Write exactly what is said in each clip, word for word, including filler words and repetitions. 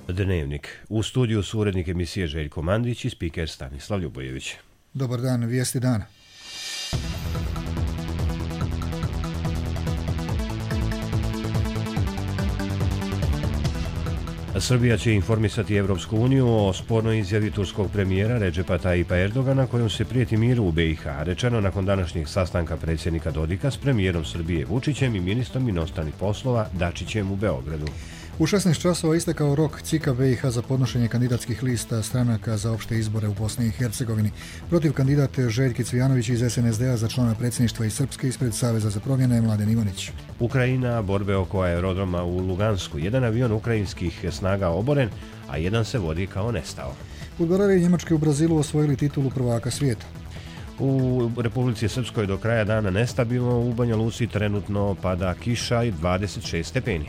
Dnevnik. U studiju su urednik emisije Željko Mandić i spiker Stanislav Ljubojević. Dobar dan, vijesti dana. Srbija će informisati Evropsku uniju o spornoj izjavi turskog premijera Redžepa Tajipa Erdogana kojom se prijeti miru u be i ha, rečeno nakon današnjeg sastanka predsjednika Dodika s premijerom Srbije Vučićem i ministrom inostranih poslova Dačićem u Beogradu. U šesnaest časova istekao rok C I K A be i ha za podnošenje kandidatskih lista stranaka za opšte izbore u Bosni i Hercegovini. Protiv kandidat Željki Cvijanović iz es en es de a za člana predsjedništva iz Srpske ispred Saveza za promjene Mladen Ivanić. Ukrajina, borbe oko aerodroma u Lugansku. Jedan avion ukrajinskih snaga oboren, a jedan se vodi kao nestao. Fudbaleri Njemačke u Brazilu osvojili titulu prvaka svijeta. U Republici Srpskoj do kraja dana nestabilno, u Banja Luci trenutno pada kiša i dvadeset šest stepeni.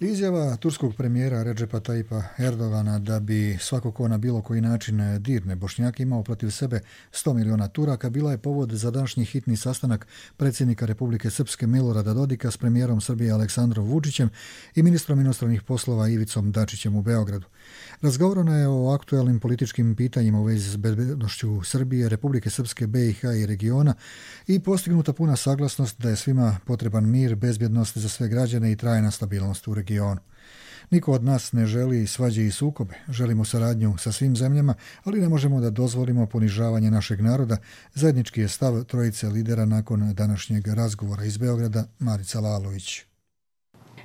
Izjava turskog premijera Redžepa Tajipa Erdogana da bi svako ko na bilo koji način dirne Bošnjake imao protiv sebe sto miliona Turaka bila je povod za današnji hitni sastanak predsjednika Republike Srpske Milorada Dodika s premijerom Srbije Aleksandrom Vučićem i ministrom inostranih poslova Ivicom Dačićem u Beogradu. Razgovoreno je o aktuelnim političkim pitanjima u vezi s bezbednošću Srbije, Republike Srpske, be i ha i regiona i postignuta puna saglasnost da je svima potreban mir, bezbjednost za sve građane i trajna stabilnost u regionu. Niko od nas ne želi svađe i sukobe, želimo saradnju sa svim zemljama, ali ne možemo da dozvolimo ponižavanje našeg naroda, zajednički je stav trojice lidera nakon današnjeg razgovora iz Beograda, Marica Lalović.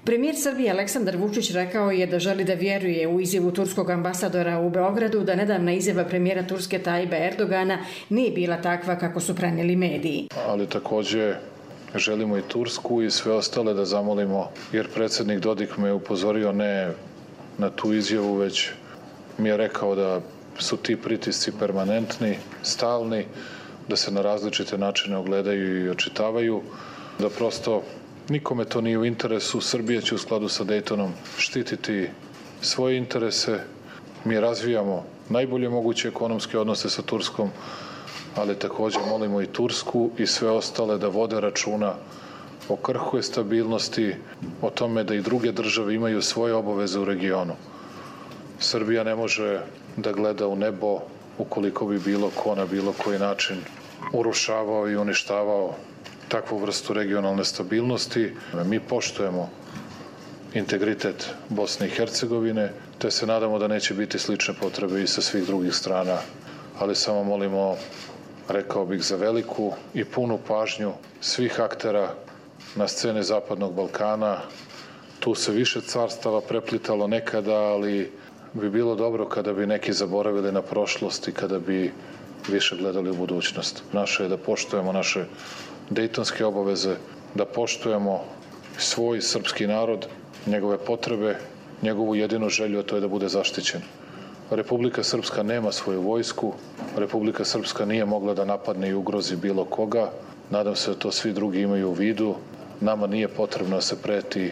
Premijer Srbije Aleksandar Vučić rekao je da želi da vjeruje u izjavu turskog ambasadora u Beogradu da nedavna izjava premijera Turske Tajipa Erdogana nije bila takva kako su prenijeli mediji. Ali također želimo i Tursku i sve ostale da zamolimo, jer predsjednik Dodik me upozorio ne na tu izjavu, već mi je rekao da su ti pritisci permanentni, stalni, da se na različite načine ogledaju i očitavaju, da prosto nikome to nije u interesu. Srbija će u skladu sa Daytonom štititi svoje interese. Mi razvijamo najbolje moguće ekonomske odnose sa Turskom, ali također molimo i Tursku i sve ostale da vode računa o krhkoj stabilnosti, o tome da i druge države imaju svoje obaveze u regionu. Srbija ne može da gleda u nebo ukoliko bi bilo ko na bilo koji način urušavao i uništavao takvu vrstu regionalne stabilnosti. Mi poštujemo integritet Bosne i Hercegovine, te se nadamo da neće biti slične potrebe i sa svih drugih strana, ali samo molimo, rekao bih, za veliku i punu pažnju svih aktera na sceni Zapadnog Balkana. Tu se više carstava preplitalo nekada, ali bi bilo dobro kada bi neki zaboravili na prošlost i kada bi više gledali u budućnost. Naše je da poštujemo naše dejtonske obaveze, da poštujemo svoj srpski narod, njegove potrebe, njegovu jedinu želju, a to je da bude zaštićen. Republika Srpska nema svoju vojsku, Republika Srpska nije mogla da napadne i ugrozi bilo koga. Nadam se da to svi drugi imaju u vidu. Nama nije potrebno da se preti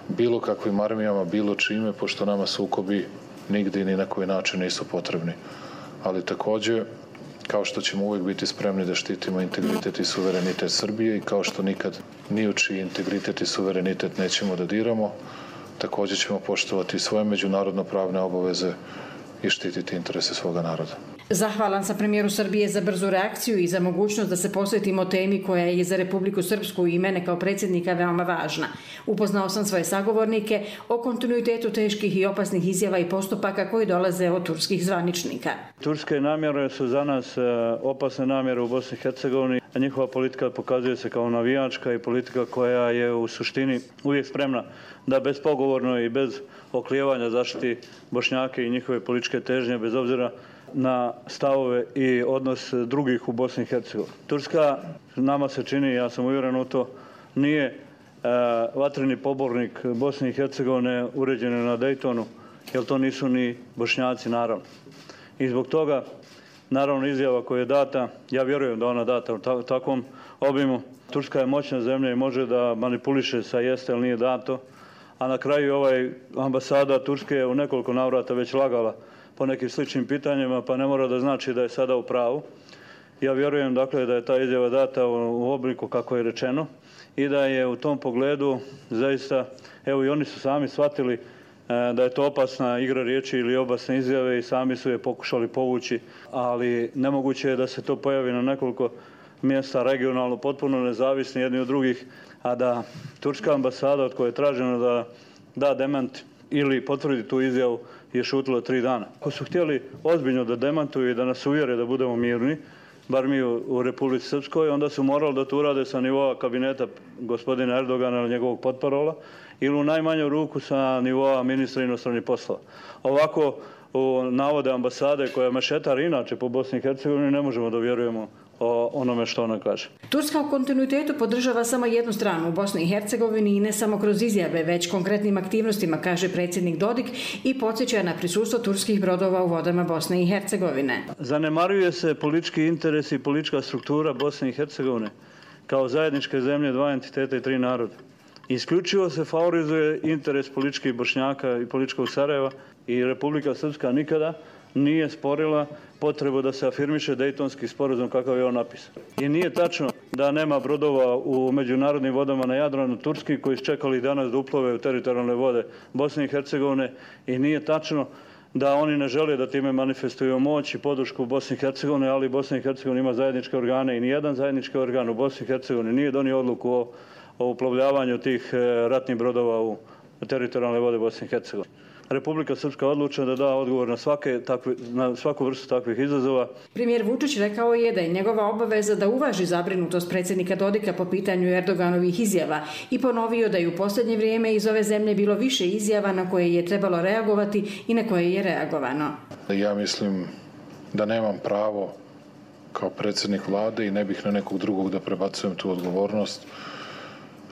bilo kakvim armijama, bilo čime, pošto nama sukobi nigdje i ni na koji način nisu potrebni. Ali također, kao što ćemo uvijek biti spremni da štitimo integritet i suverenitet Srbije i kao što nikad ni u čiji integritet i suverenitet nećemo da diramo, također ćemo poštovati svoje međunarodno pravne obaveze i štititi interese svoga naroda. Zahvalan sam premijeru Srbije za brzu reakciju i za mogućnost da se posvetimo temi koja je za Republiku Srpsku i mene kao predsjednika veoma važna. Upoznao sam svoje sagovornike o kontinuitetu teških i opasnih izjava i postupaka koji dolaze od turskih zvaničnika. Turske namjere su za nas opasne namjere u Bosni i Hercegovini, a njihova politika pokazuje se kao navijačka i politika koja je u suštini uvijek spremna da bespogovorno i bez oklijevanja zaštiti Bošnjake i njihove političke težnje, bez obzira na stavove i odnos drugih u Bosni i Hercegovini. Turska, nama se čini, ja sam uvjeren u to, nije e, vatreni pobornik Bosne i Hercegovine uređene na Daytonu, jer to nisu ni Bošnjaci, naravno. I zbog toga, naravno, izjava koja je data, ja vjerujem da ona data u ta, takvom obimu. Turska je moćna zemlja i može da manipuliše sa jeste ili nije dato, a na kraju ovaj ambasada Turske je u nekoliko navrata već lagala po nekim sličnim pitanjima, pa ne mora da znači da je sada u pravu. Ja vjerujem dakle da je ta izjava data u obliku kako je rečeno i da je u tom pogledu zaista, evo i oni su sami shvatili da je to opasna igra riječi ili opasne izjave i sami su je pokušali povući, ali nemoguće je da se to pojavi na nekoliko mjesta regionalno, potpuno nezavisni jedni od drugih, a da turska ambasada od koje je traženo da da demant ili potvrdi tu izjavu je šutilo tri dana. Ako su htjeli ozbiljno da demantuju i da nas uvjere da budemo mirni, bar mi u, u Republici Srpskoj, onda su morali da to urade sa nivoa kabineta gospodina Erdogana ili njegovog potparola ili u najmanju ruku sa nivoa ministra inostranih poslova. Ovako, u navode ambasade koja je mešetar inače po Bosni i Hercegovini, ne možemo da vjerujemo o onome što ona kaže. Turska u kontinuitetu podržava samo jednu stranu u Bosni i Hercegovini i ne samo kroz izjave, već konkretnim aktivnostima, kaže predsjednik Dodik i podsjeća na prisustvo turskih brodova u vodama Bosne i Hercegovine. Zanemaruje se politički interes i politička struktura Bosne i Hercegovine kao zajedničke zemlje dva entiteta i tri naroda. Isključivo se favorizuje interes političkih Bošnjaka i političkog Sarajeva i Republika Srpska nikada nije sporila potrebu da se afirmiše Dejtonski sporazum kakav je on napisan. I nije tačno da nema brodova u međunarodnim vodama na Jadranu Turski koji su čekali danas da uplove u teritorijalne vode Bosne i Hercegovine i nije tačno da oni ne žele da time manifestuju moć i podršku Bosne i Hercegovine, ali Bosna i Hercegovina ima zajedničke organe i nijedan zajednički organ u Bosni i Hercegovini nije donio odluku o, o uplovljavanju tih ratnih brodova u teritorijalne vode Bosne i Hercegovine. Republika Srpska odlučila da da odgovor na, svake, takve, na svaku vrstu takvih izazova. Premijer Vučić rekao je da je njegova obaveza da uvaži zabrinutost predsjednika Dodika po pitanju Erdoganovih izjava i ponovio da je u posljednje vrijeme iz ove zemlje bilo više izjava na koje je trebalo reagovati i na koje je reagovano. Ja mislim da nemam pravo kao predsjednik vlade i ne bih na nekog drugog da prebacujem tu odgovornost.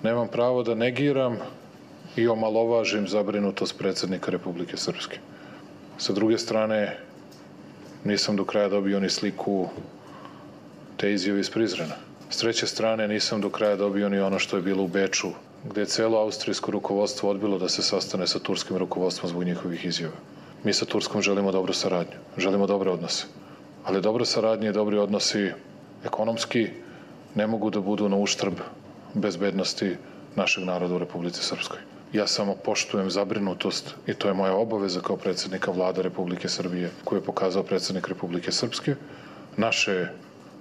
Nemam pravo da negiram i omalovažim zabrinutost predsjednika Republike Srpske. Sa druge strane, nisam do kraja dobio ni sliku te izjave iz Prizrena. S treće strane, nisam do kraja dobio ni ono što je bilo u Beču, gdje je cijelo austrijsko rukovodstvo odbilo da se sastane sa turskim rukovodstvom zbog njihovih izjava. Mi sa Turskom želimo dobru saradnju, želimo dobre odnose. Ali dobra saradnja i dobri odnosi ekonomski ne mogu da budu na uštrb bezbednosti našeg naroda u Republici Srpskoj. Ja samo poštujem zabrinutost i to je moja obaveza kao predsjednika vlade Republike Srbije koju je pokazao predsjednik Republike Srpske. Naše je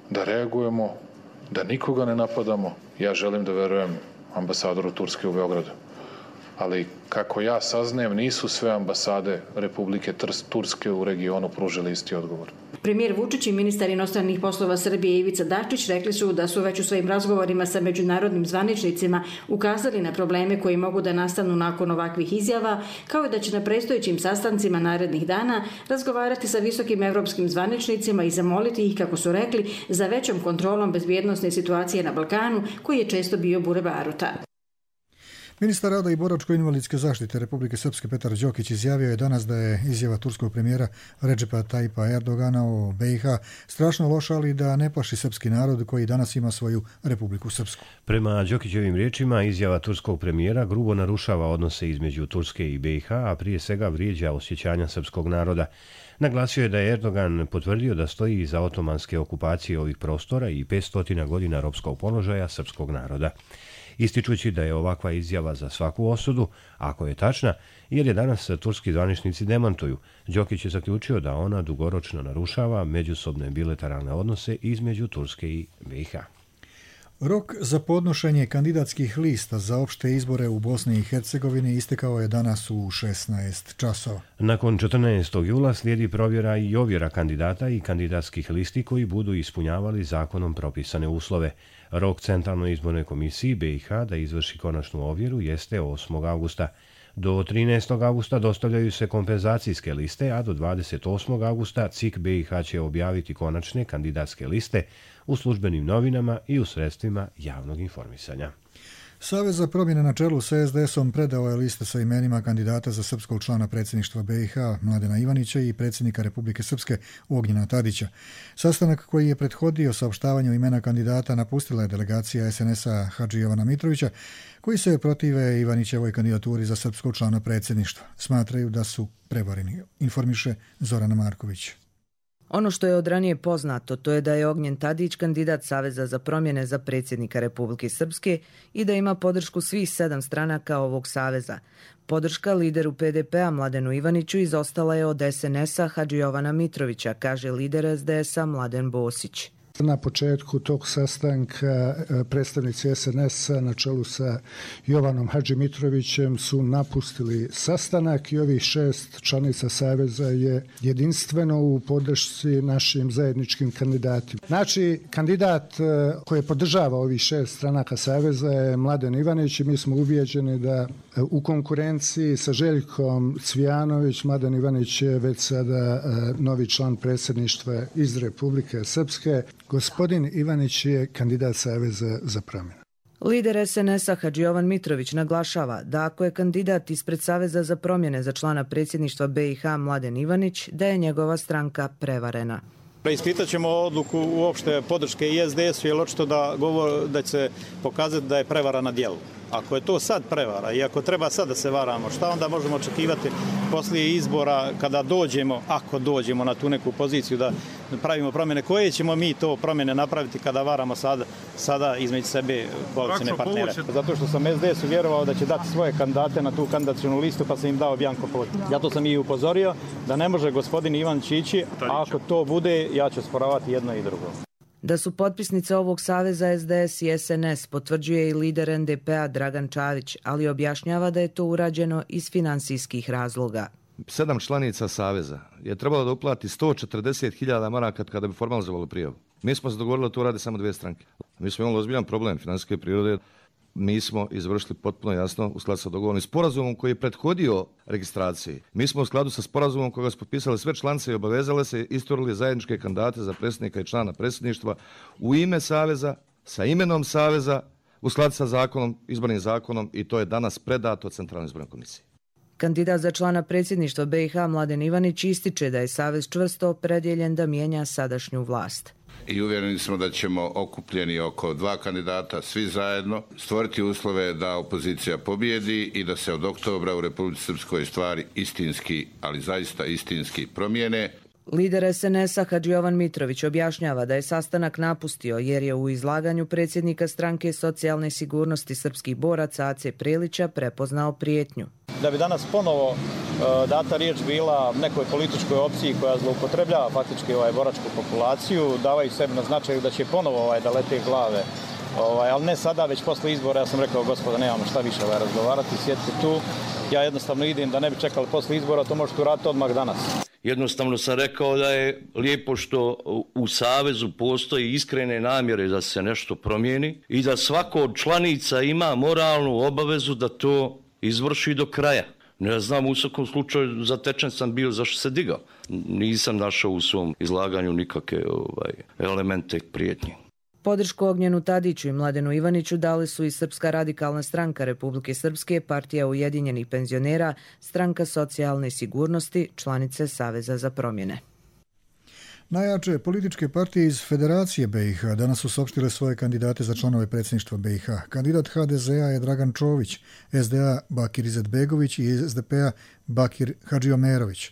da reagujemo, da nikoga ne napadamo. Ja želim da verujem ambasadoru Turske u Beogradu. Ali kako ja saznajem, nisu sve ambasade Republike Turske u regionu pružile isti odgovor. Premijer Vučić i ministar inostranih poslova Srbije Ivica Dačić rekli su da su već u svojim razgovorima sa međunarodnim zvaničnicima ukazali na probleme koji mogu da nastanu nakon ovakvih izjava, kao i da će na predstojećim sastancima narednih dana razgovarati sa visokim evropskim zvaničnicima i zamoliti ih, kako su rekli, za većom kontrolom bezbjednosne situacije na Balkanu, koji je često bio bure baruta. Ministar rada i boračko-invalidske zaštite Republike Srpske Petar Đokić izjavio je danas da je izjava turskog premijera Redžepa Tajipa Erdogana o B i H strašno loša, ali da ne plaši srpski narod koji danas ima svoju Republiku Srpsku. Prema Đokićevim riječima, izjava turskog premijera grubo narušava odnose između Turske i B i H, a prije svega vrijeđa osjećanja srpskog naroda. Naglasio je da je Erdogan potvrdio da stoji iza otomanske okupacije ovih prostora i petsto godina ropskog položaja srpskog naroda. Ističući da je ovakva izjava za svaku osudu, ako je tačna, jer je danas turski zvaničnici demantuju. Đokić je zaključio da ona dugoročno narušava međusobne bilateralne odnose između Turske i B i H. Rok za podnošenje kandidatskih lista za opšte izbore u Bosni i Hercegovini istekao je danas u šesnaest časova. Nakon četrnaestog jula slijedi provjera i ovjera kandidata i kandidatskih listi koji budu ispunjavali zakonom propisane uslove. Rok Centralnoj izbornoj komisiji B i H da izvrši konačnu ovjeru jeste osmog avgusta. Do trinaestog avgusta dostavljaju se kompenzacijske liste, a do dvadeset osmog avgusta C I K B i H će objaviti konačne kandidatske liste u službenim novinama i u sredstvima javnog informisanja. Savez za promjene na čelu sa S D S-om predao je liste sa imenima kandidata za srpskog člana predsjedništva B i H Mladena Ivanića i predsjednika Republike Srpske Ognjena Tadića. Sastanak koji je prethodio saopštavanju imena kandidata napustila je delegacija S N S-a Hadži Jovana Mitrovića, koji se protive Ivanićevoj kandidaturi za srpskog člana predsjedništva. Smatraju da su prevareni, informiše Zorana Marković. Ono što je od ranije poznato, to je da je Ognjen Tadić kandidat Saveza za promjene za predsjednika Republike Srpske i da ima podršku svih sedam stranaka ovog saveza. Podrška lideru P D P-a Mladenu Ivaniću izostala je od S N S-a Hadži Jovana Mitrovića, kaže lider S D S-a Mladen Bosić. Na početku tog sastanka predstavnici S N S-a na čelu sa Jovanom Hadži Mitrovićem su napustili sastanak i ovih šest članica Saveza je jedinstveno u podršci našim zajedničkim kandidatima. Znači, kandidat koji podržava ovih šest stranaka Saveza je Mladen Ivanić i mi smo ubijeđeni da u konkurenciji sa Željkom Cvijanović, Mladen Ivanić je već sada novi član predsjedništva iz Republike Srpske. Gospodin Ivanić je kandidat Saveza za promjenu. Lider S N S-a Hadži Jovan Mitrović naglašava da ako je kandidat ispred Saveza za promjene za člana predsjedništva B i H Mladen Ivanić, da je njegova stranka prevarena. Preispitat ćemo odluku uopšte podrške i S D S-u, jer očito da, govor, da će se pokazati da je prevara na djelu. Ako je to sad prevara i ako treba sad da se varamo, šta onda možemo očekivati poslije izbora kada dođemo, ako dođemo na tu neku poziciju da pravimo promjene? Koje ćemo mi to promjene napraviti kada varamo sada, sada između sebe koalicijne partnere? Zato što sam S D S-u vjerovao da će dati svoje kandidate na tu kandidacionu listu, pa sam im dao bjanko pot. Zato sam i upozorio da ne može gospodin Ivan ići, a ako to bude, ja ću sporavati jedno i drugo. Da su potpisnice ovog saveza S D S i S N S potvrđuje i lider N D P-a Dragan Čavić, ali objašnjava da je to urađeno iz finansijskih razloga. Sedam članica saveza je trebalo da uplati sto četrdeset hiljada maraka kada bi formalizovalo prijavu. Mi smo se dogovorili da to rade samo dvije stranke. Mi smo imali ozbiljan problem finansijske prirode. Mi smo izvršili potpuno jasno u skladu sa dogovornim sporazumom koji je prethodio registraciji. Mi smo u skladu sa sporazumom koga su potpisali sve članice i obavezale se isturili zajedničke kandidate za predsjednika i člana predsjedništva u ime saveza, sa imenom saveza, u skladu sa zakonom, izbornim zakonom, i to je danas predato Centralnoj izbornoj komisiji. Kandidat za člana predsjedništva B i H Mladen Ivanić ističe da je savez čvrsto opredjeljen da mijenja sadašnju vlast. I uvjereni smo da ćemo okupljeni oko dva kandidata, svi zajedno, stvoriti uslove da opozicija pobjedi i da se od oktobra u Republici Srpskoj stvari istinski, ali zaista istinski promijene. Lider S N S-a Hadži Jovan Mitrović objašnjava da je sastanak napustio jer je u izlaganju predsjednika stranke socijalne sigurnosti srpskih boraca Ace Prelića prepoznao prijetnju. Da bi danas ponovo uh, data riječ bila nekoj političkoj opciji koja zloupotrebljava faktički ovaj boračku populaciju, davaju sebi na značaju da će ponovo ovaj, da lete glave, ovaj, ali ne sada, već posle izbora. Ja sam rekao, gospoda, nemamo šta više ovaj, razgovarati, sjedite tu. Ja jednostavno idem da ne bi čekali posle izbora, to možete uraditi odmah danas. Jednostavno sam rekao da je lijepo što u Savezu postoji iskrene namjere da se nešto promijeni i da svako od članica ima moralnu obavezu da to izvrši do kraja. Ne znam, u svakom slučaju zatečen sam bio zašto se digao. Nisam našao u svom izlaganju nikakve ovaj, elemente prijetnje. Podršku Ognjenu Tadiću i Mladenu Ivaniću dali su i Srpska radikalna stranka Republike Srpske, Partija ujedinjenih penzionera, Stranka socijalne sigurnosti, članice Saveza za promjene. Najjače političke partije iz Federacije B i H danas su saopštile svoje kandidate za članove predsjedništva B i H. Kandidat H D Z A je Dragan Čović, S D A Bakir Izetbegović i S D P-a Bakir Hadžiomerović.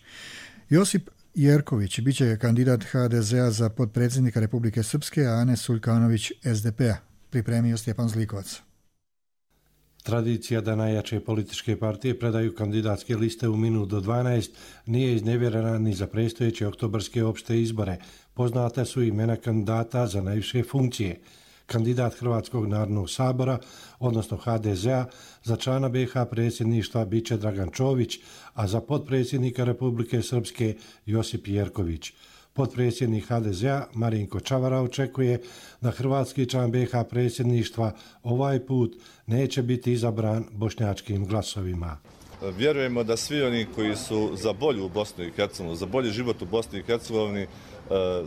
Josip Jerković bit će kandidat H D Z A za potpredsjednika Republike Srpske, a Ane Suljkanović S D P-a. Pripremio Stjepan Zlikovac. Tradicija da najjače političke partije predaju kandidatske liste u minut do dvanaest nije iznevjerena ni za predstojeće oktobarske opšte izbore. Poznata su imena kandidata za najviše funkcije. Kandidat Hrvatskog narodnog sabora, odnosno H D Z A, za člana B i H predsjedništva biće Dragan Čović, a za potpredsjednika Republike Srpske Josip Jerković. Potpredsjednik H D Z A Marinko Čavara očekuje da hrvatski član B i H predsjedništva ovaj put neće biti izabran bošnjačkim glasovima. Vjerujemo da svi oni koji su za bolju Bosnu i Hercegovinu, za bolji život u Bosni i Hercegovini,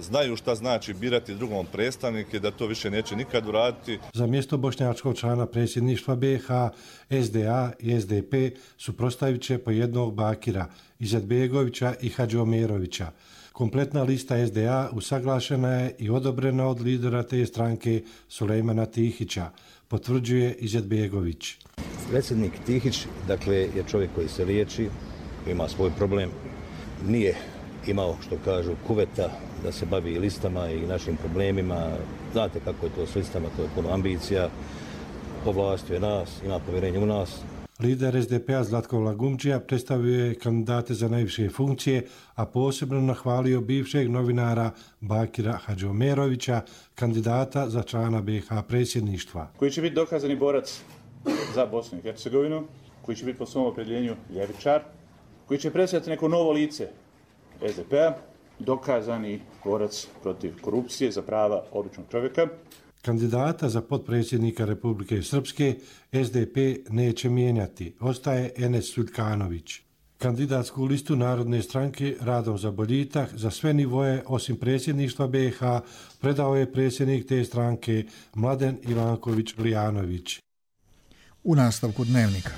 znaju šta znači birati drugom predstavnike, da to više neće nikad uraditi. Za mjesto bošnjačkog člana predsjedništva B i H, S D A i S D P suprotstavit će po jednog Bakira, Izetbegovića i Hadžiomerovića. Kompletna lista S D A usaglašena je i odobrena od lidera te stranke Sulejmana Tihića, potvrđuje Izetbegović. Predsjednik Tihić, dakle, je čovjek koji se liječi, koji ima svoj problem, nije imao, što kažu, kuveta da se bavi listama i našim problemima. Znate kako je to s listama, to je puno ambicija. Ovlastio je nas, ima povjerenje u nas. Lider es de pe a Zlatko Lagumdžija predstavio je kandidate za najviše funkcije, a posebno nahvalio bivšeg novinara Bakira Hadžiomerovića, kandidata za člana be ha predsjedništva. Koji će biti dokazani borac za Bosnu i Hercegovinu, koji će biti po svom opredjeljenju ljevičar, koji će predstavljati neko novo lice es de pe a, dokazani borac protiv korupcije za prava običnog čovjeka. Kandidata za potpredsjednika Republike Srpske es de pe neće mijenjati, ostaje Enes Suljkanović. Kandidatsku listu Narodne stranke Radom za boljitak za sve nivoje osim predsjedništva be ha predao je predsjednik te stranke Mladen Ivanković Lijanović. U nastavku Dnevnika.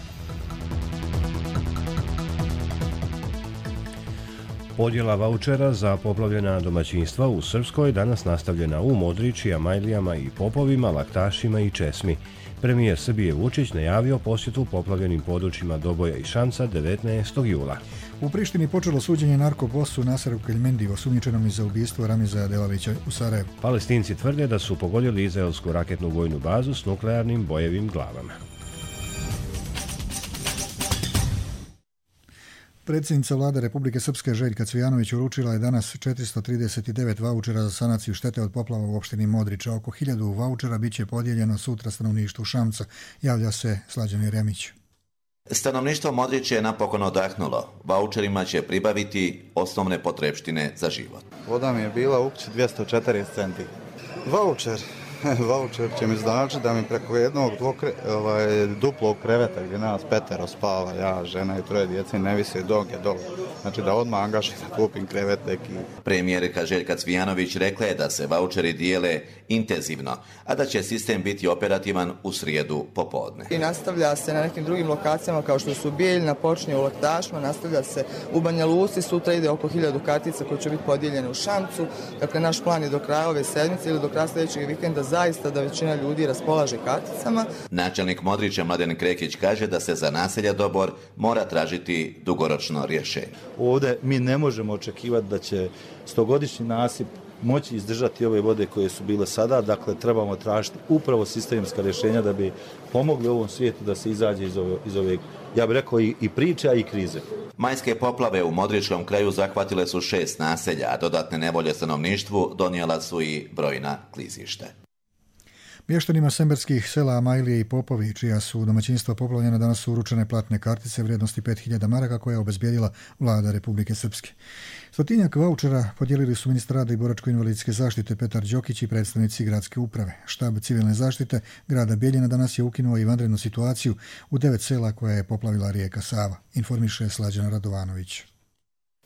Podjela vaučera za poplavljena domaćinstva u Srpskoj danas nastavljena u Modriči, Amajlijama i Popovima, Laktašima i Česmi. Premijer Srbije Vučić najavio posjetu poplavljenim područjima Doboja i Šamca devetnaestog jula. U Prištini počelo suđenje narkobosu Naseru Keljmendi, osumnjičenom za ubistvo Ramiza Delavića u Sarajevu. Palestinci tvrde da su pogodili izraelsku raketnu vojnu bazu s nuklearnim bojevim glavama. Predsjednica vlade Republike Srpske Željka Cvijanović uručila je danas četiristo trideset devet vaučera za sanaciju štete od poplava u opštini Modriča. Oko hiljadu vaučera biće podijeljeno sutra stanovništvu Šamca, javlja se Slađan Jeremić. Stanovništvo Modrića je napokon odahnulo. Vaučerima će pribaviti osnovne potrepštine za život. Voda mi je bila u kući dvjesto četrdeset centi. Vaučer. Vaučer će mi znači da mi preko jednog dvokre, ovaj, duplog kreveta gdje nas petero spava, ja, žena i troje djece, ne visi doge dole. Znači da odmah angažim da kupim krevet neki. Premijerka Željka Cvijanović rekla je da se vaučeri dijele intenzivno, a da će sistem biti operativan u srijedu popodne. I nastavlja se na nekim drugim lokacijama kao što su Bijeljna, počinje u Laktašima, nastavlja se u Banja Luci, sutra ide oko hiljadu kartica koje će biti podijeljene u Šamcu. Dakle, naš plan je do kraja ove sedmice ili do kraja sljedećeg vikenda zaista da većina ljudi raspolaže karticama. Načelnik Modrića Mladen Krekić kaže da se za naselja Dobor mora tražiti dugoročno rješenje. Ovdje mi ne možemo očekivati da će stogodišnji nasip moći izdržati ove vode koje su bile sada, dakle trebamo tražiti upravo sistemska rješenja da bi pomogli ovom svijetu da se izađe iz ove, iz ove ja bih rekao i, i priče, a i krize. Majske poplave u Modričkom kraju zahvatile su šest naselja, a dodatne nevolje stanovništvu donijela su i brojna klizišta. Mještanima semberskih sela Amajlije i Popovi, čija su domaćinstva poplavljena, danas su uručene platne kartice vrijednosti pet hiljada maraka koje je obezbijedila vlada Republike Srpske. Stotinjak vaučera podijelili su ministar rada i boračko-invalidske zaštite Petar Đokić i predstavnici gradske uprave. Štab civilne zaštite grada Bijeljina danas je ukinuo i vanrednu situaciju u devet sela koja je poplavila rijeka Sava, informiše Slađana Radovanović.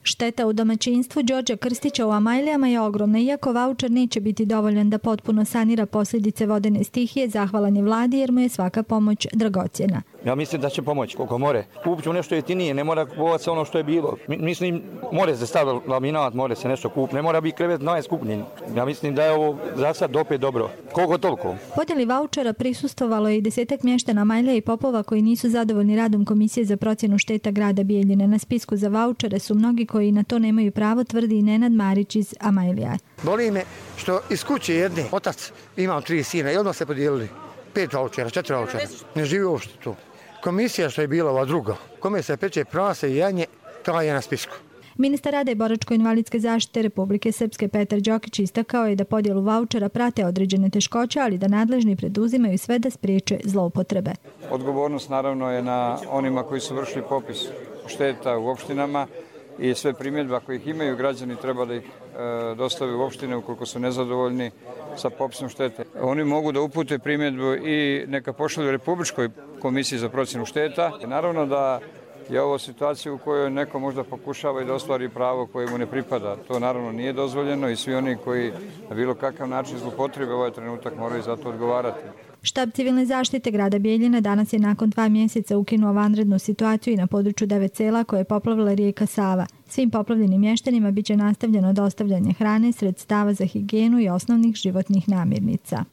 Šteta u domaćinstvu Đorđa Krstića u Amajlijama je ogromna, iako vaučer neće biti dovoljan da potpuno sanira posljedice vodene stihije, zahvalan je vladi jer mu je svaka pomoć dragocjena. Ja mislim da će pomoći koliko more. Kupit ću nešto jeftinije, ne mora kupovati se ono što je bilo. Mislim, more se staviti laminat, more se nešto kupiti, ne mora biti krevet najskupljen. Ja mislim da je ovo za sad opet dobro. Koliko toliko? Podjeli vaučera prisustvovalo je i desetak mještana Amajlija i Popova koji nisu zadovoljni radom Komisije za procjenu šteta grada Bijeljine. Na spisku za vaučere su mnogi koji na to nemaju pravo, tvrdi i Nenad Marić iz Amajlija. Boli me što iz kuće jedne otac imao tri sina i odmah se podijelili. Pet vaučera, četiri vaučera. Ne živi uopšte tu. Komisija što je bila ova druga, kome se peče prase i janje, to je na spisku. Ministar rada i boračko-invalidske zaštite Republike Srpske Petar Đokić istakao je da podjelu vaučera prate određene teškoće, ali da nadležni preduzimaju sve da spriječe zloupotrebe. Odgovornost naravno je na onima koji su vršili popis šteta u opštinama i sve primjedbe ako ih imaju građani treba da ih e, dostave u opštine ukoliko su nezadovoljni sa popisom štete. Oni mogu da upute primjedbu i neka pošalju Republičkoj komisiji za procjenu šteta. Naravno da je ovo situacija u kojoj neko možda pokušava i da ostvari pravo koje mu ne pripada. To naravno nije dozvoljeno i svi oni koji na bilo kakav način zloupotrebe ovaj trenutak moraju za to odgovarati. Štab civilne zaštite grada Bijeljina danas je nakon dva mjeseca ukinuo vanrednu situaciju i na području devet sela koje je poplavila rijeka Sava. Svim poplavljenim mještanima biće nastavljeno dostavljanje hrane, sredstava za higijenu i osnovnih životnih namirnica.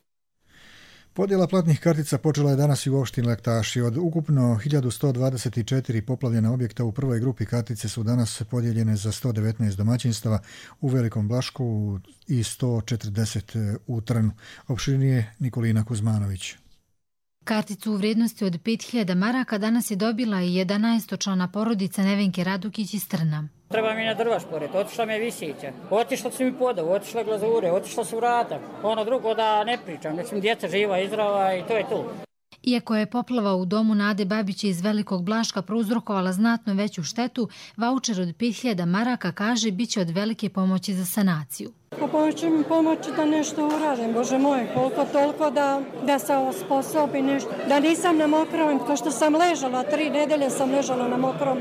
Podjela platnih kartica počela je danas i u opštini Laktaši. Od ukupno hiljadu sto dvadeset četiri poplavljena objekta u prvoj grupi kartice su danas podijeljene za sto devetnaest domaćinstava u Velikom Blašku i sto četrdeset u Trnu. Opširnije Nikolina Kuzmanović. Karticu u vrijednosti od pet hiljada maraka danas je dobila i jedanaestočlana porodica Nevenke Radukić iz Trna. Treba mi na drva šporet, otišla mi je visića, otišla su mi podav, otišla glazure, otišla su vrata. Ono drugo da ne pričam, mislim djeca živa, izdrava i to je to. Iako je poplava u domu Nade Babiće iz Velikog Blaška prouzrokovala znatno veću štetu, vaučer od pet hiljada maraka, kaže, bit će od velike pomoći za sanaciju. Pomoći mi pomoći da nešto uradim, Bože moj, koliko toliko da, da se osposobi nešto. Da nisam na mokrom, kao što sam ležala, tri nedelje sam ležala na mokrom.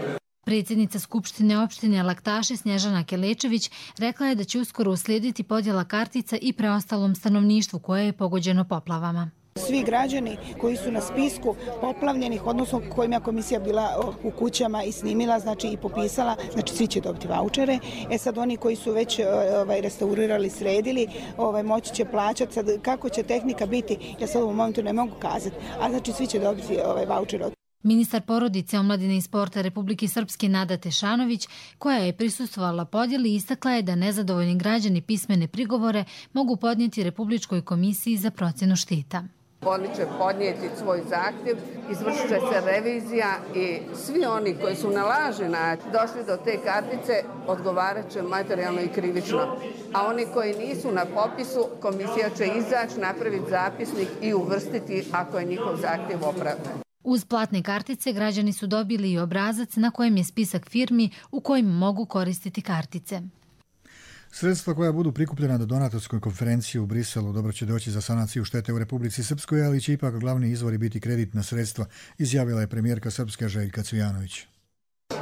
Predsjednica Skupštine opštine Laktaši Snježana Kelečević rekla je da će uskoro uslijediti podjela kartica i preostalom stanovništvu koje je pogođeno poplavama. Svi građani koji su na spisku poplavljenih, odnosno kojima je komisija bila u kućama i snimila, znači i popisala, znači svi će dobiti vaučere. E sad oni koji su već ovaj, restaurirali, sredili, ovaj, moći će plaćati. Sad kako će tehnika biti, ja sad u ovom momentu ne mogu kazati, a znači svi će dobiti ovaj, vaučere. Ministar porodice, omladine i sporta Republike Srpske Nada Tešanović, koja je prisustvovala podjeli, istakla je da nezadovoljni građani pismene prigovore mogu podnijeti Republičkoj komisiji za procjenu šteta. Oni će podnijeti svoj zahtjev, izvršit će se revizija i svi oni koji su na lažni način došli do te kartice odgovarat će materijalno i krivično. A oni koji nisu na popisu, komisija će izaći, napraviti zapisnik i uvrstiti ako je njihov zahtjev opravdan. Uz platne kartice građani su dobili i obrazac na kojem je spisak firmi u kojim mogu koristiti kartice. Sredstva koja budu prikupljena do donatorskoj konferenciji u Briselu dobro će doći za sanaciju štete u Republici Srpskoj, ali će ipak glavni izvori biti kreditna sredstva, izjavila je premijerka Srpske Željka Cvijanović.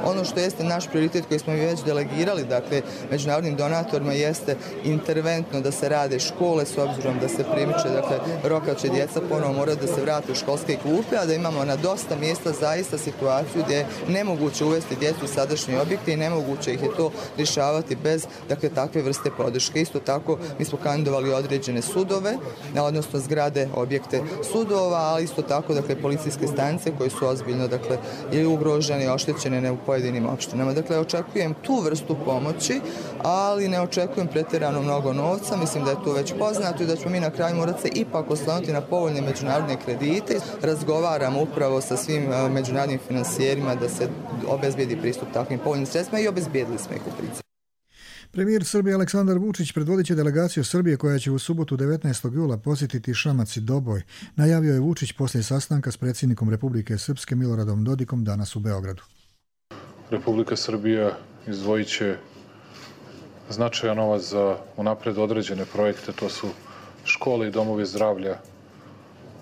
Ono što jeste naš prioritet koji smo već delegirali, dakle, međunarodnim donatorima, jeste interventno da se rade škole s obzirom da se primiče, dakle, roka će djeca ponovo morati da se vrate u školske klupe, a da imamo na dosta mjesta zaista situaciju gdje je nemoguće uvesti djecu u sadašnje objekte i nemoguće ih je to rješavati bez, dakle, takve vrste podrške. Isto tako, mi smo kandidovali određene sudove, odnosno zgrade, objekte sudova, ali isto tako, dakle, policijske stanice koje su ozbiljno, dakle, ili ugrožene, oštećene u pojedinim opštinama. Dakle, očekujem tu vrstu pomoći, ali ne očekujem pretjerano mnogo novca. Mislim da je to već poznato i da ćemo mi na kraju morati se ipak oslaniti na povoljne međunarodne kredite. Razgovaramo upravo sa svim međunarodnim finansijerima da se obezbijedi pristup takvim povoljnim sredstvima i obezbijedili smo ih u principu. Premijer Srbije Aleksandar Vučić predvodit će delegaciju Srbije koja će u subotu devetnaestog jula posjetiti Šamac i Doboj. Najavio je Vučić poslije sastanka s predsjednikom Republike Srpske Miloradom Dodikom danas u Beogradu. Republika Srbija izdvojit će značajan novac za unapred određene projekte, to su škole i domovi zdravlja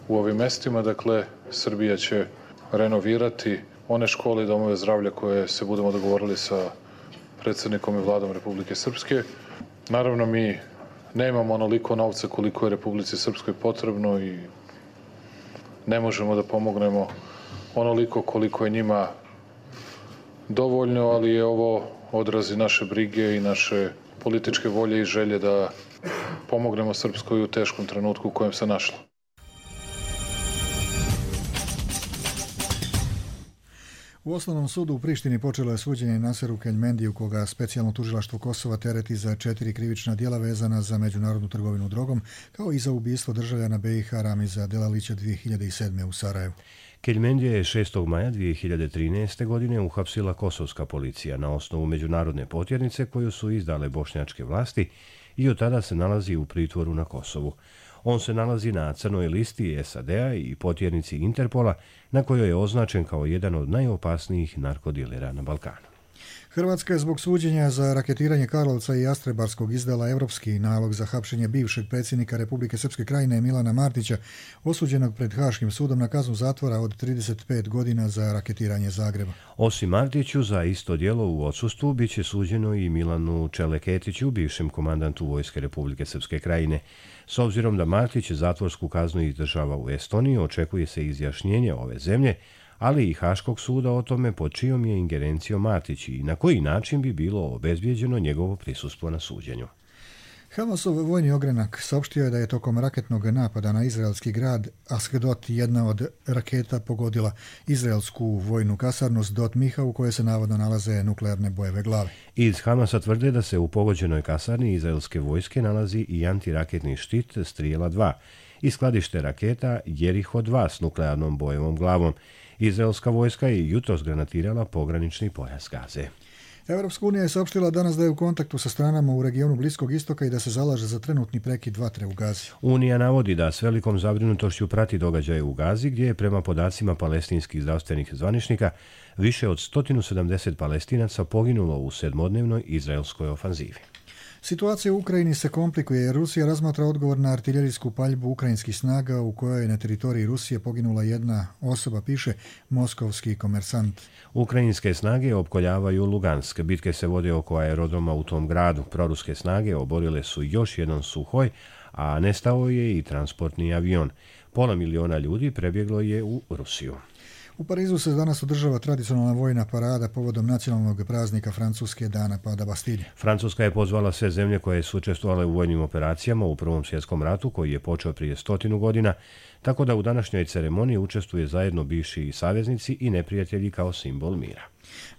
u ovim mestima. Dakle, Srbija će renovirati one škole i domove zdravlja koje se budemo dogovorili sa predsjednikom i vladom Republike Srpske. Naravno, mi nemamo onoliko novca koliko je Republici Srpskoj potrebno i ne možemo da pomognemo onoliko koliko je njima dovoljno, ali je ovo odrazi naše brige i naše političke volje i želje da pomognemo Srpskoj u teškom trenutku u kojem se našla. U Osnovnom sudu u Prištini počelo je suđenje Naseru Keljmendiju, koga specijalno tužilaštvo Kosova tereti za četiri krivična djela vezana za međunarodnu trgovinu drogom, kao i za ubistvo državljana B i H Ramiza Delalića dvije hiljade sedme u Sarajevu. Keljmendija je šestog maja dvije hiljade trinaeste. godine uhapsila kosovska policija na osnovu međunarodne potjernice koju su izdale bošnjačke vlasti i od tada se nalazi u pritvoru na Kosovu. On se nalazi na crnoj listi S A D-a i potjernici Interpola, na kojoj je označen kao jedan od najopasnijih narkodilera na Balkanu. Hrvatska je zbog suđenja za raketiranje Karlovca i Jastrebarskog izdala evropski nalog za hapšenje bivšeg predsjednika Republike Srpske Krajine Milana Martića, osuđenog pred Haškim sudom na kaznu zatvora od trideset pet godina za raketiranje Zagreba. Osim Martiću, za isto djelo u odsustvu bit će suđeno i Milanu Čeleketiću, bivšem komandantu Vojske Republike Srpske Krajine. S obzirom da Martić zatvorsku kaznu izdržava u Estoniji, očekuje se izjašnjenje ove zemlje, ali i Haškog suda o tome pod čijom je ingerencijom Martić i na koji način bi bilo obezbijeđeno njegovo prisustvo na suđenju. Hamasov vojni ogranak saopštio je da je tokom raketnog napada na izraelski grad Ashdod jedna od raketa pogodila izraelsku vojnu kasarnu Sdot Miha u kojoj se navodno nalaze nuklearne bojeve glave. Iz Hamasa tvrde da se u pogođenoj kasarni izraelske vojske nalazi i antiraketni štit Strijela dva i skladište raketa Jeriho dva s nuklearnom bojevom glavom. Izraelska vojska je jutros granatirala pogranični pojas Gaze. Evropska unija je saopštila danas da je u kontaktu sa stranama u regionu Bliskog istoka i da se zalaže za trenutni prekid vatre u Gazi. Unija navodi da s velikom zabrinutošću prati događaje u Gazi, gdje je prema podacima palestinskih zdravstvenih zvaničnika više od sto sedamdeset Palestinaca poginulo u sedmodnevnoj izraelskoj ofanzivi. Situacija u Ukrajini se komplikuje jer Rusija razmatra odgovor na artiljerijsku paljbu ukrajinskih snaga u kojoj je na teritoriji Rusije poginula jedna osoba, piše moskovski komersant. Ukrajinske snage opkoljavaju Lugansk. Bitke se vode oko aerodroma u tom gradu. Proruske snage oborile su još jedan Suhoj, a nestao je i transportni avion. Pola miliona ljudi prebjeglo je u Rusiju. U Parizu se danas održava tradicionalna vojna parada povodom nacionalnog praznika Francuske, dana pada Bastilje. Francuska je pozvala sve zemlje koje su učestvovale u vojnim operacijama u Prvom svjetskom ratu, koji je počeo prije stotinu godina, tako da u današnjoj ceremoniji učestvuje zajedno bivši saveznici i neprijatelji kao simbol mira.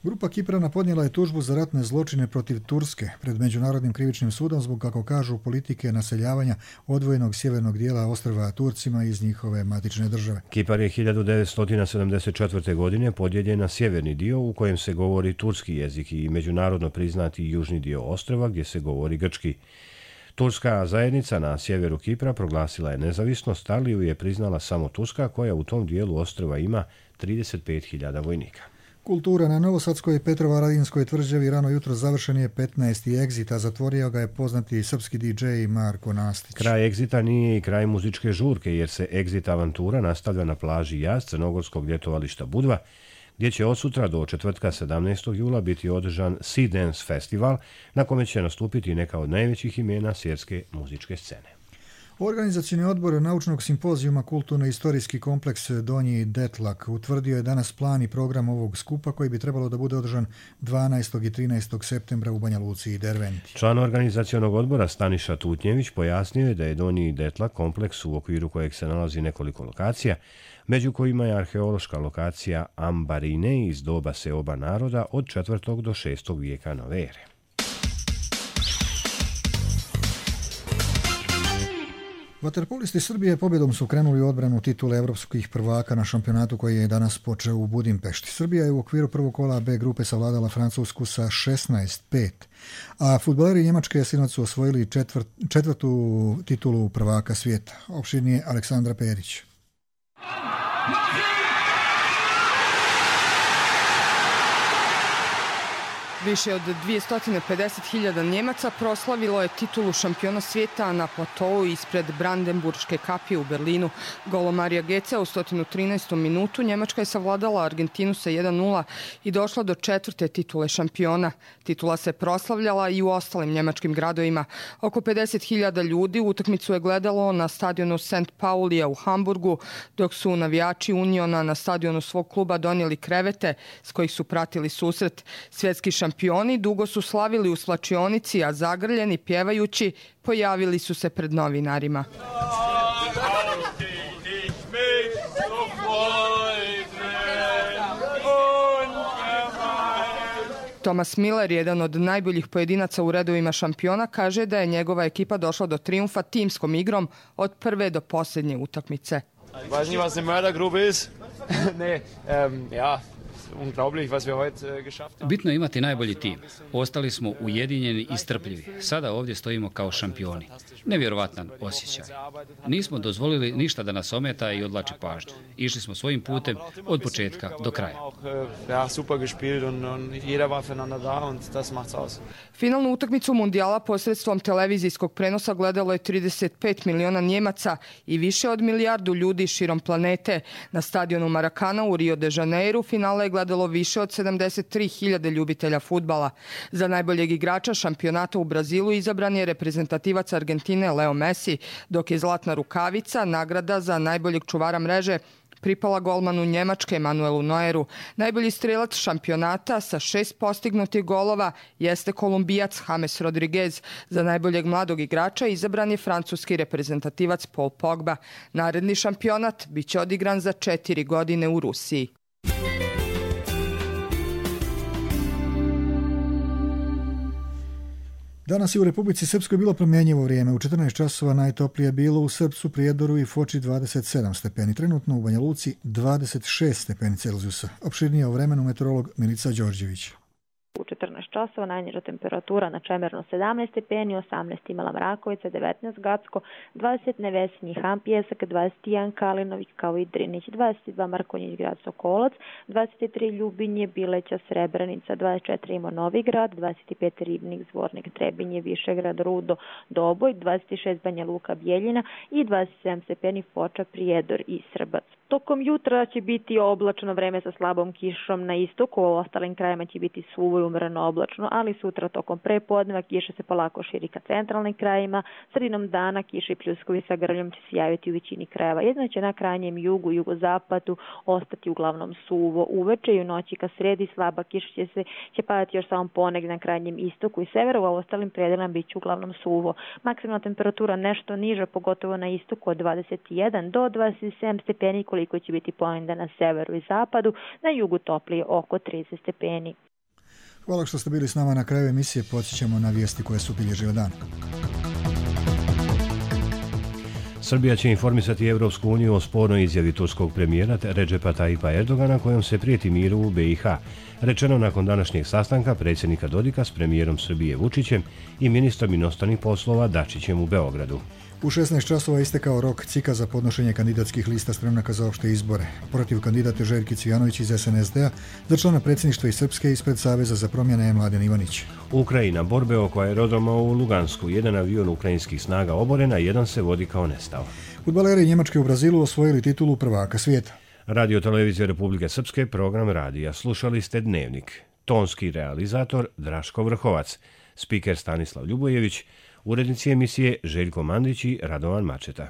Grupa Kiprana podnijela je tužbu za ratne zločine protiv Turske pred Međunarodnim krivičnim sudom zbog, kako kažu, politike naseljavanja odvojenog sjevernog dijela ostrva Turcima iz njihove matične države. Kipar je hiljadu devetsto sedamdeset četvrte. godine podijeljen na sjeverni dio u kojem se govori turski jezik i međunarodno priznati južni dio ostrva gdje se govori grčki. Turska zajednica na sjeveru Kipra proglasila je nezavisnost, ali ju je priznala samo Turska, koja u tom dijelu ostrva ima trideset pet hiljada vojnika. Kultura na Novosadskoj Petrovaradinskoj tvrđavi rano jutro završen je petnaesti egzit, a zatvorio ga je poznati srpski di džej Marko Nastić. Kraj egzita nije i kraj muzičke žurke, jer se egzit avantura nastavlja na plaži Jaz crnogorskog ljetovališta Budva, gdje će od sutra do četvrtka sedamnaestog jula biti održan Sea Dance Festival, na kome će nastupiti neka od najvećih imena svjetske muzičke scene. Organizacioni odbor naučnog simpozijuma Kulturno-istorijski kompleks Donji Detlak utvrdio je danas plan i program ovog skupa koji bi trebalo da bude održan dvanaestog i trinaestog septembra u Banja Luci i Derventi. Član organizacionog odbora Staniša Tutnjević pojasnio je da je Donji Detlak kompleks u okviru kojeg se nalazi nekoliko lokacija, među kojima je arheološka lokacija Ambarine iz doba seoba naroda od četvrtog do šestog vijeka nove ere. Vaterpolisti Srbije pobjedom su krenuli u odbranu titule evropskih prvaka na šampionatu koji je danas počeo u Budimpešti. Srbija je u okviru prvog kola B grupe savladala Francusku sa šesnaest pet, a fudbaleri Njemačke sinoć su osvojili četvrt, četvrtu titulu prvaka svijeta. Opširnije Aleksandra Perić. Više od dvjesto pedeset hiljada Njemaca proslavilo je titulu šampiona svijeta na platovu ispred Brandenburške kapije u Berlinu. Golom Marija Gecea u sto trinaestom minutu Njemačka je savladala Argentinu sa jedan nula i došla do četvrte titule šampiona. Titula se proslavljala i u ostalim njemačkim gradovima. Oko pedeset hiljada ljudi utakmicu je gledalo na stadionu Saint Paulija u Hamburgu, dok su navijači Uniona na stadionu svog kluba donijeli krevete s kojih su pratili susret. Svjetski šampion Šampioni dugo su slavili u slačionici, a zagrljeni, pjevajući, pojavili su se pred novinarima. Thomas Miller, jedan od najboljih pojedinaca u redovima šampiona, kaže da je njegova ekipa došla do trijumfa timskom igrom od prve do posljednje utakmice. Weiß nicht, was eine Mördergrube ist. Nee, ähm, ja. Bitno je imati najbolji tim. Ostali smo ujedinjeni i strpljivi. Sada ovdje stojimo kao šampioni. Nevjerovatan osjećaj. Nismo dozvolili ništa da nas ometa i odlači pažnju. Išli smo svojim putem od početka do kraja. Finalnu utakmicu mundijala posredstvom televizijskog prenosa gledalo je trideset pet miliona Njemaca i više od milijardu ljudi širom planete. Na stadionu Maracana u Rio de Janeiro finale je gledalo više od sedamdeset tri hiljade ljubitelja fudbala. Za najboljeg igrača šampionata u Brazilu izabran je reprezentativac Argentine Leo Messi, dok je zlatna rukavica nagrada za najboljeg čuvara mreže pripala golmanu Njemačke Manuelu Neueru. Najbolji strelac šampionata sa šest postignutih golova jeste Kolumbijac James Rodriguez. Za najboljeg mladog igrača izabran je francuski reprezentativac Paul Pogba. Naredni šampionat biće odigran za četiri godine u Rusiji. Danas je u Republici Srpskoj bilo promjenjivo vrijeme. U četrnaest časova najtoplije je bilo u Srpcu, Prijedoru i Foči dvadeset sedam stepeni. Trenutno u Banja Luci dvadeset šest stepeni Celzijusa. Opširnije o vremenu meteorolog Milica Đorđević. U četrnaest časova najniža temperatura na Čemerno sedamnaest stepeni, osamnaest Mala Mrakovica, devetnaest Gacko, dvadeset Nevesinji Han Pjesak, dvadeset jedan Kalinović kao i Drinić, dvadeset dva Markonjić grad Sokolac, dvadeset tri Ljubinje, Bileća, Srebrenica, dvadeset četiri Imo Novigrad, dvadeset pet Ribnik, Zvornik, Trebinje, Višegrad, Rudo, Doboj, dvadeset šest Banja Luka, Bjeljina i dvadeset sedam stepeni Foča, Prijedor i Srbac. Tokom jutra će biti oblačno vreme sa slabom kišom na istoku, u ostalim krajima će biti suvo i umreno oblačno, ali sutra tokom prepodneva kiša se polako širi ka centralnim krajima, sredinom dana kiše i pljuskovi sa grljom će se javiti u većini krajeva. Jedno će na krajnjem jugu, jugozapadu ostati uglavnom suvo. Uveče i u noći ka sredi slaba kiša će se će padati još samo ponegdje na krajnjem istoku i severu, a u ostalim predelima bit će uglavnom suvo. Maksimalna temperatura nešto niža, pogotovo na istoku od dvadeset jedan do dvadeset sedam stepeni, koliko će biti ponegdje na severu i zapadu, na jugu toplije oko trideset stepeni. Hvala što ste bili s nama na kraju emisije. Podsjećamo na vijesti koje su obilježile dan. Srbija će informisati Evropsku uniju o spornoj izjavi turskog premijera Redžepa Tajipa Erdogana kojom se prijeti miru u be i ha. Rečeno nakon današnjeg sastanka predsjednika Dodika s premijerom Srbije Vučićem i ministrom inostranih poslova Dačićem u Beogradu. U šesnaest časova istekao rok C I K-a za podnošenje kandidatskih lista spremnaka za opšte izbore. Protiv kandidate Željke Cvijanović iz es en es de a, za člana predsjedništva iz Srpske ispred Saveza za promjene je Mladen Ivanić. Ukrajina, borbe oko aerodroma u Lugansku. Jedan avion ukrajinskih snaga oboren, a jedan se vodi kao nestao. Fudbaleri Njemačke u Brazilu osvojili titulu prvaka svijeta. Radio Televizija Republike Srpske, program radija. Slušali ste Dnevnik. Tonski realizator Draško Vrhovac. Spiker Stanislav Ljubojević. Urednici emisije Željko Mandić i Radovan Mačeta.